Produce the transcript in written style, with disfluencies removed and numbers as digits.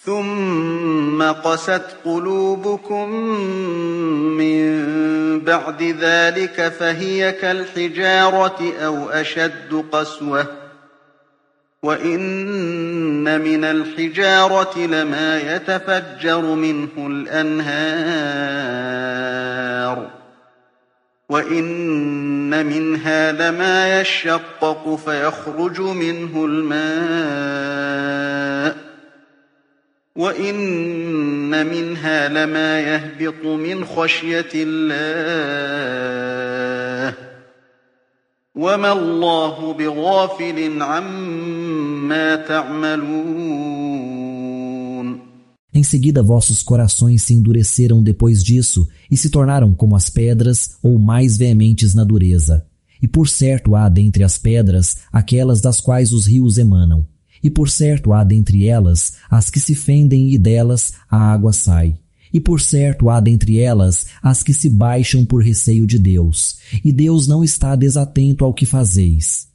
ثم قست قلوبكم من بعد ذلك فهي كالحجارة أو أشد قسوة وإن من الحجارة لما يتفجر منه الأنهار وإن منها لما يشقق فيخرج منه الماء وإن منها لما يهبط من خشية الله وما الله بغافل عما تعملون. Em seguida vossos corações se endureceram depois disso e se tornaram como as pedras ou mais veementes na dureza. E por certo há dentre as pedras aquelas das quais os rios emanam. E por certo há dentre elas as que se fendem e delas a água sai. E por certo há dentre elas as que se baixam por receio de Deus. E Deus não está desatento ao que fazeis.